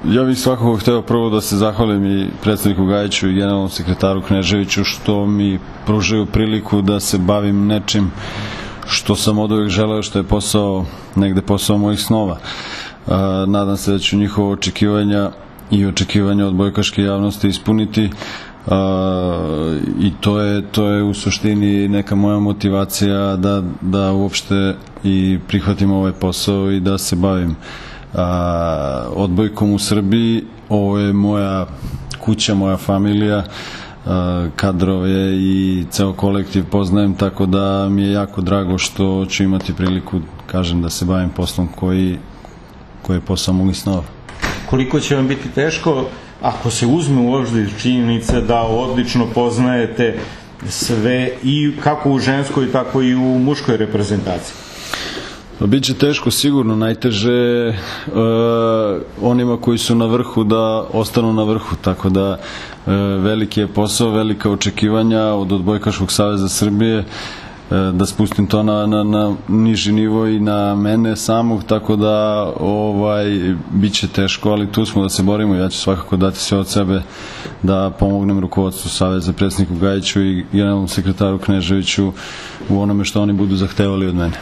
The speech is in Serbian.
Ja bih svakako hteo prvo da se zahvalim i predsedniku Gajiću i generalnom sekretaru Kneževiću što mi pružaju priliku da se bavim nečim što sam od uvek želeo, što je negde posao mojih snova. Nadam se da ću njihova očekivanja i očekivanja od odbojkaške javnosti ispuniti, i to je u suštini neka moja motivacija da uopšte i prihvatim ovaj posao i da se bavim odbojkom u Srbiji. Ovo je moja kuća, moja familija, kadrove i ceo kolektiv poznajem, tako da mi je jako drago što ću imati priliku, kažem, da se bavim poslom koji je posao mojih snova. Koliko će vam biti teško ako se uzme u obzir činjenica da odlično poznajete sve i kako u ženskoj, tako i u muškoj reprezentaciji? Biće teško sigurno, najteže onima koji su na vrhu da ostanu na vrhu, tako da veliki je posao, velika očekivanja od Odbojkaškog saveza Srbije, da spustim to na niži nivo i na mene samog, tako da biće teško, ali tu smo da se borimo. Ja ću svakako dati sve od sebe da pomognem rukovodstvu saveza, predsedniku Gajiću i generalnom sekretaru Kneževiću u onome što oni budu zahtevali od mene.